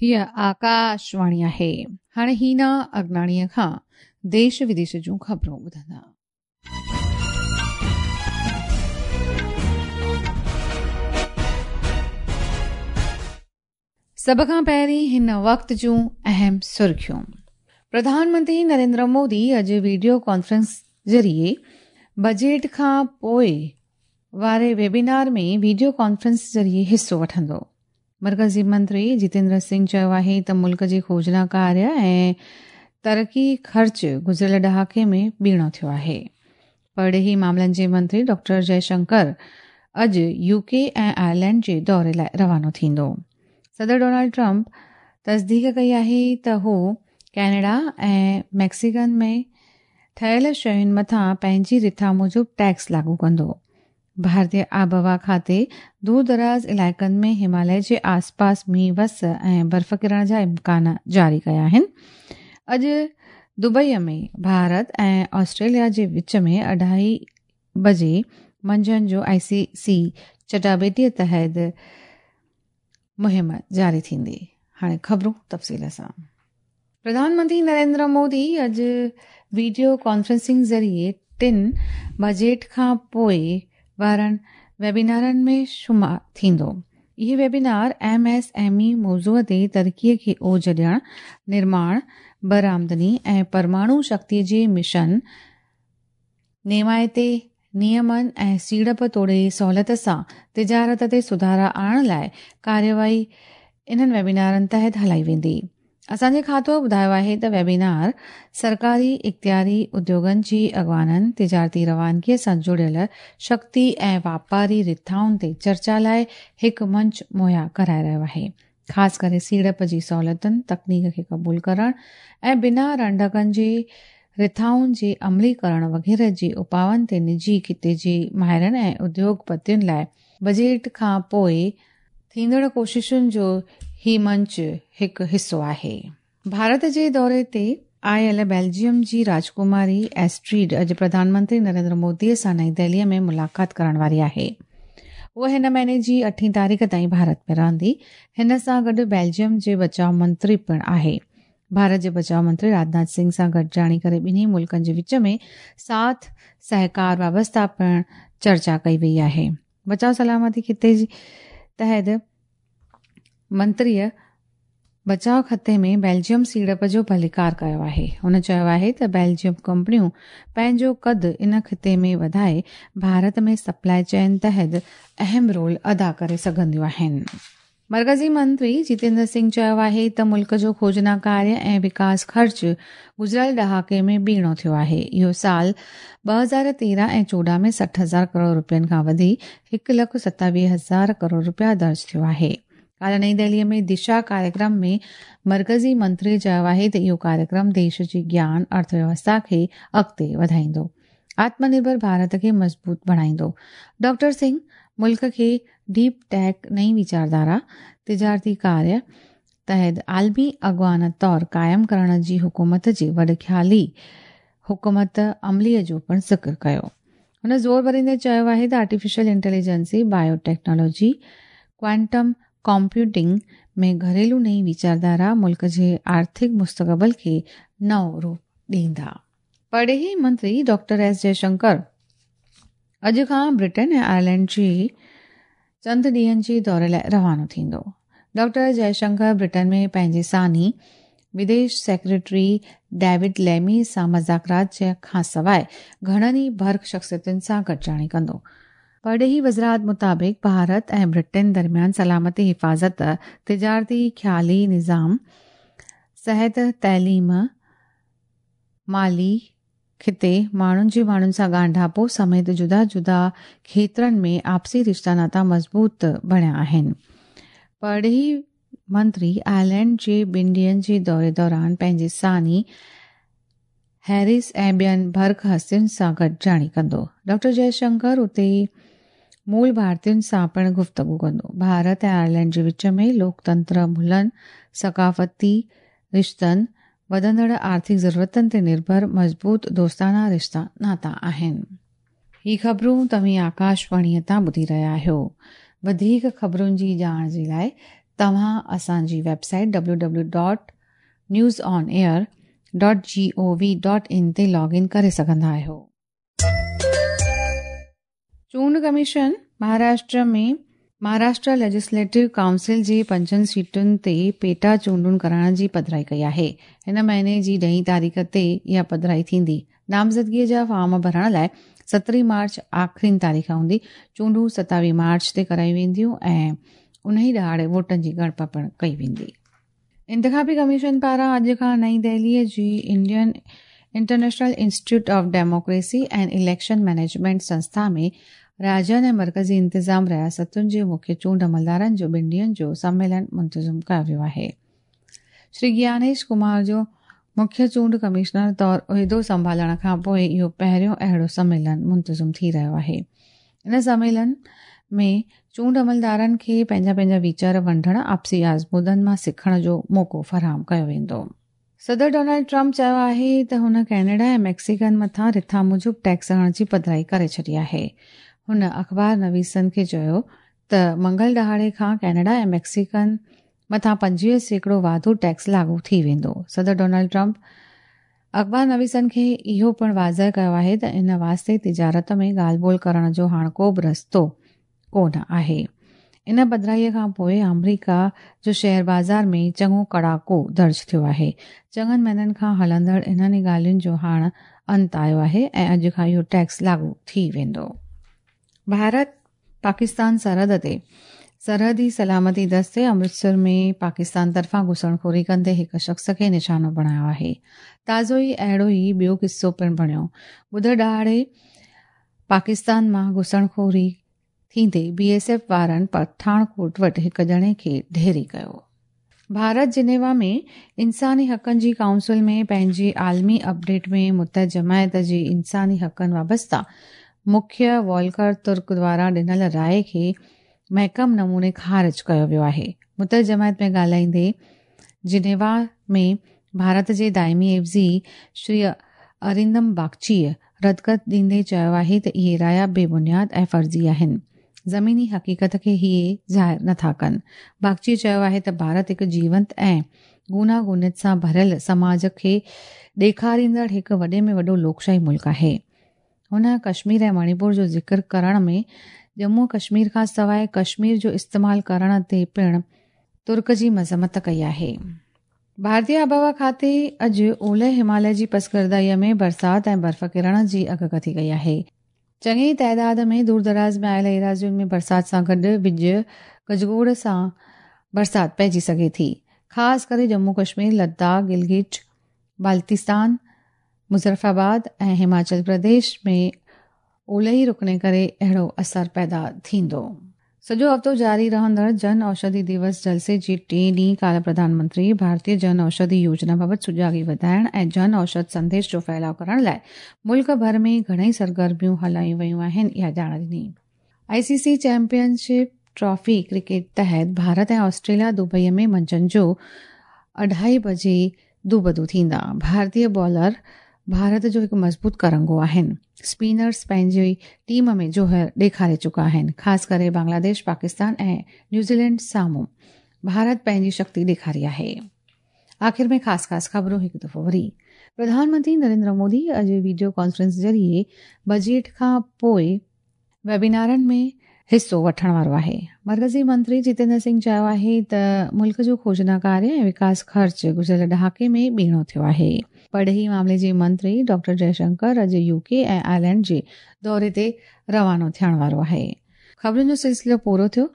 هيء آڪاشواڻي آهي. هاڻي هينا اگناڻيء کان ديش وديش جون خبرون ٻڌندا. سڀ کان پهرين هن وقت جون اهم سرخيون. پرڌان منتري نريندر مودي اڄ ويڊيو ڪانفرنس ذريعي بجيٽ کان پوء واري ويبينار ۾ ويڊيو ڪانفرنس ذريعي حصو وٺندو. مرڪزي منتري جتيندر سنگهه چيو آهي ته ملڪ جي کوجنا ڪاريه ۽ ترقي خرچ گذريل ڏهاڪي ۾ ٻيڻو ٿيو آهي. پرڏيهي معاملن جي منتري ڊاڪٽر جئه شنڪر اڄ يو ڪي ۽ آئرلينڊ جي دوري لاء روانو ٿيندو. صدر ڊونلڊ ٽرمپ تصديق ڪئي آهي ته هو ڪينيڊا ۽ ميڪسيڪن ۾ ٺهيل شين مٿان پنهنجي رٿا موجب ٽيڪس لاڳو ڪندو. ڀارتي آبهوا کاتي دور دراز علائقن ۾ هماليه جي آس پاس مينهن وس ۽ برف ڪرڻ جا امڪان جاري ڪيا آهن. اڄ دبئي ۾ ڀارت ۽ آسٽريليا جي وچ ۾ اڍائي بجي منجهند جو آء سي سي چٽاڀيٽي تحت مهم جاري ٿيندي. هاڻي خبرون تفصيل سان. پرڌان منتري نريندر مودي اڄ ويڊيو ڪانفرنسنگ ذريعي ٽن بجيٽ کان پوء وارن ويبينارن ۾ شمار ٿيندو. اهي webinar M S M E موضوع تي ترقي کي اوج ڏيڻ، نرماڻ، برآمدني ۽ پرماڻو شڪتي جي مشن، نيمائتي نيمن ۽ سيڙپ توڙي سهولت سان تجارت تي سڌارا آڻڻ لاء ڪارروائي انهن ويبينارن تحت هلائي ويندي. اسان جي کاتو ٻڌايو آهي ته ويبينار سرڪاري اختياري اديوگن جي اڳواڻن، تجارتي روانگي سان جڙيل شڪتي ۽ واپاري رٿائن تي چرچا لاء هڪ منچ مهيا ڪرائي رهيو آهي. خاص ڪري سيڙپ جي سهولتن، تڪنيڪ کي قبول ڪرڻ ۽ بنا رنڊڪن جي رٿائن جي عملي ڪرڻ وغيره جي اپائن تي نجي خطي جي ماهرن ۽ اديوڳ پتين لاء بجيٽ کان پوء ٿيندڙ ڪوششن جو هي منچ هڪ حصو آهي. ڀارت جي دوري تي آيل بيلجيم جي راجڪماري ايسٽريڊ اڄ پرڌان منتري نريندر مودي سان نئين دهلي ۾ ملاقات ڪرڻ واري آهي. هوء هن مهيني جي اٺين تاريخ تائين ڀارت ۾ رهندي. هن سان گڏ بيلجيم جي بچاء منتري پڻ آهي. ڀارت جي بچاء منتري راجناٿ سنگهه سان گڏجاڻي ڪري ٻنهي ملڪن جي وچ ۾ ساٿ سهڪار وابسته پڻ چرچا ڪئي وئي آهي. بچاء سلامتي خطي جي تحت منتريء بچاء خطي ۾ بيلجيم سيڙپ جو ڀليڪار ڪيو آهي. هن چيو آهي ته بيلجيم ڪمپنيون پنهنجو قد ان خطي ۾ وڌائي ڀارت ۾ سپلاء چين تحت اهم رول ادا ڪري سگهنديون آهن. مرڪزي منتري جتيندر سنگهه چيو آهي ته ملڪ جو کوجنا ڪاريه ۽ وڪاس خرچ گذريل ڏهاڪي ۾ ٻيڻو ٿيو آهي. اهو سال 2013 ۽ 14 ۾ 60 هزار ڪروڙ رپين کان وڌي هڪ لک 27 هزار ڪروڙ رپيا درج ٿيو آهي. ڪالهه نئين دهلي ۾ دشا ڪاريڪرم ۾ مرڪزي منتري چيو آهي ته اهو ڪاريڪرم ديش جي گيان ارٿ ويوسٿا کي اڳتي وڌائيندو، آتم نرڀر ڀارت کي مضبوط بڻائيندو. ڊاڪٽر سنگهه ملڪ کي ڊيپ ٽيڪ نئين ويچارڌارا، تجارتي ڪاريه تحت عالمي اڳواڻ طور قائم ڪرڻ جي حڪومت جي وڏ خيالي حڪمت عملي جو پڻ ذڪر ڪيو. هن زور ڀريندي چيو آهي ته artificial intelligence, bio technology, quantum computing ۾ گهريلو نئين ويچارڌارا ملڪ جي آرٿڪ مستقبل کي نئون روپ ڏيندا. پرڏيهي منتري ڊاڪٽر ايس جئشنڪر اڄ کان برٽن ۽ آئرلينڊ جي چند ڏينهن جي دوري لاء روانو ٿيندو. ڊاڪٽر جئشنڪر برٽن ۾ پنهنجي ثاني وديش سيڪريٽري ڊيوڊ ليمي سان مذاڪرات کانسواء گهڻن ئي برک شخصيتن سان گڏجاڻي ڪندو. پرڏيهي وزارت مطابق ڀارت ۽ برٽن درميان سلامتي حفاظت، تجارتي خيالي نظام، صحت، تعليم، مالي خطي، ماڻهن جي ماڻهن سان ڳانڍاپو سميت جدا جدا کيترن ۾ آپسي رشتا ناتا مضبوط بڻيا آهن. پرڏيهي منتري آئرلينڊ جي ٻن ڏينهن جي دوري دوران پنهنجي ثاني هيرس ۽ ٻين برک هستين سان گڏجاڻي ڪندو. ڊاڪٽر جئشنڪر اتي مول ڀارتين سان پڻ گفتگو ڪندو. ڀارت ۽ آئرلينڊ جي وچ ۾ لوڪتنتر ملن، ثقافتي رشتن، وڌندڙ آرٿڪ ضرورتن تي نرڀر مضبوط دوستانا رشتا ناتا آهن. هي خبرون توهين آڪاشواڻيء تان ٻڌي رهيا آهيو. وڌيڪ خبرن جي ڄاڻ جي لاء توهان اسان جي web site W W dot news on air dot G O V dot in تي لاگ ان ڪري سگهندا آهيو. چونڊ commission Maharashtra ۾ Maharashtra legislative council جي پنجن سيٽن تي پيٽا چونڊون ڪرائڻ جي پڌرائي ڪئي آهي. هن مهيني جي ڏهين تاريخ تي اها پڌرائي ٿيندي. نامزدگي جا فارم ڀرڻ لاء سترهين مارچ آخرين تاريخ هوندي. چونڊون ستاويهه مارچ تي ڪرايون وينديون ۽ انهي ڏهاڙي ووٽن جي ڳڻپ پڻ ڪئي ويندي. انتخابي ڪميشن پاران اڄ کان نئين دهلي جي Indian international institute of democracy and election management سنسٿا ۾ راجين ۽ مرڪزي انتظام رياستن جي مکيه چونڊ عملدارن جو ٻن ڏينهن جو سميلن منتظم ڪيو ويو آهي. شري گيانيش ڪمار جو مکيه چونڊ ڪمشنر طور عهدو سنڀالڻ کان پوء اهو پهريون اهڙو سميلن منتظم ٿي رهيو آهي. ان سميلن ۾ چونڊ عملدارن کي پنهنجا پنهنجا ويچار ونڊڻ، آپسي آزمودن مان سکڻ جو موقعو فراهم ڪيو ويندو. صدر ڊونلڊ ٽرمپ چيو آهي ته هن ڪينيڊا ۽ ميڪسيڪن مٿان رٿا موجب ٽيڪس هڻڻ جي پڌرائي ڪري ڇڏي آهي. هن اخبار نويسن کي چيو ته منگل ڏهاڙي کان ڪينيڊا ۽ ميڪسيڪن مٿان 25% واڌو ٽيڪس لاڳو ٿي ويندو. صدر ڊونلڊ ٽرمپ اخبار نويسن کي اهو پڻ واضح ڪيو آهي ته ان واسطي تجارت ۾ ڳالهه ٻولهه ڪرڻ جو هاڻ ڪو به رستو ڪو نه آهي. ان پڌرائيء کان پوء آمريڪا جو شيئر بازار ۾ چڱو ڪڙاڪو درج ٿيو آهي. چڱن مهينن کان هلندڙ انهن ڳالهين جو هاڻ انت آيو آهي ۽ اڄ کان اهو ٽيڪس لاڳو ٿي ويندو. ڀارت پاڪستان سرحد تي سرحدي سلامتي دستي امرتسر ۾ پاڪستان طرفان گهسڻخوري ڪندي هڪ شخص کي نشانو بڻايو آهي. تازو ئي اهڙو ئي ٻيو قصو پڻ بڻيو. ٻڌر ڏهاڙي پاڪستان مان گهسڻخوري ٿيندي بي ايس ايف وارن پٺاڻڪوٽ وٽ هڪ ڄڻي کي ڍيري ڪيو. ڀارت جنيوا ۾ انساني حقن جي ڪائونسل ۾ پنهنجي عالمي اپڊيٽ ۾ متحد جماعت جي انساني حقن وابسته مکيه والڪر ترڪ دواران ڏنل راء کي محڪم نموني خارج ڪيو ويو آهي. متحد جماعت ۾ ڳالهائيندي جنيوا ۾ ڀارت جي دائمي عيوضي شري ارندم باگچيء ردڪت ڏيندي چيو آهي ته اهي رايا بي بنياد ۽ فرضي آهن. زميني حقيقت کي اهي ظاهر نٿا ڪن. باگچيء چيو آهي ته ڀارت هڪ جيونت ۽ گوناگونيت سان ڀريل سماج کي ڏيکاريندڙ هڪ وڏي ۾ وڏو لوڪشاهي ملڪ آهي. هن ڪشمير ۽ مڻيپور جو ذڪر ڪرڻ ۾ ڄمون ڪشمير کان سواء ڪشمير جو استعمال ڪرڻ تي پڻ ترڪ جي مذمت ڪئي آهي. ڀارتي آبهوا کاتي اڄ اولهه هماليه جي پسگردائيء ۾ برسات ۽ برف ڪرڻ جي اڳڪٿي ڪئي آهي. چڱي تعداد ۾ دور دراز ۾ آيل ايراضين ۾ برسات سان گڏ وڄ گجگوڙ سان برسات پئجي سگهي ٿي. خاص ڪري ڄمون ڪشمير، لداخ، گلگت بالتستان، مظفرآباد ۽ هماچل پرديش ۾ اولهي رڪڻي ڪري اهڙو اثر پيدا ٿيندو. سڄو هفتو جاري رهندڙ جن اوشڌي ديوس جلسي جي ٽئين ڏينهن ڪالهه پرڌان منتري ڀارتيه جن اوشڌي يوجنا بابت سجاڳي وڌائڻ ۽ جن اوشڌ سنديش جو ڦهلاء ڪرڻ لاء ملڪ ڀر ۾ گهڻئي سرگرميون هلايون ويون آهن اها ڄاڻ ڏني. I C C championship trophy cricket تحت ڀارت ۽ آسٽريليا دبئي ۾ منجهند جو اڍائي بجي دوبدو ٿيندا. ڀارتي بالر ڀارت جو هڪ مضبوط ڪرنگهو آهن. اسپنرز پنهنجي ٽيم ۾ جوهر ڏيکاري چڪا آهن. خاص ڪري بنگلاديش، پاڪستان ۽ نيوزيلينڊ سامهون ڀارت پنهنجي شڪتي ڏيکاري آهي. آخر ۾ خاص خاص خبرون هڪ دفعو وري. پرڌان منتري نريندر مودي اڄ وڊيو ڪانفرنس ذريعي بجيٽ کان پوء ويبينارن ۾ حصو وٺڻ وارو آهي. مرڪزي منتري جتيندر سنگهه چيو آهي ته ملڪ جو کوجنا ڪاريه ۽ وڪاس خرچ گذريل ڏهاڪي ۾ ٻيڻو ٿيو آهي. پرڏيهي معاملي جي منتري ڊاڪٽر جئه شنڪر اڄ يو ڪي ۽ آئرلينڊ جي دوري تي روانو ٿيڻ وارو آهي. خبرن جو سلسلو پورو ٿيو.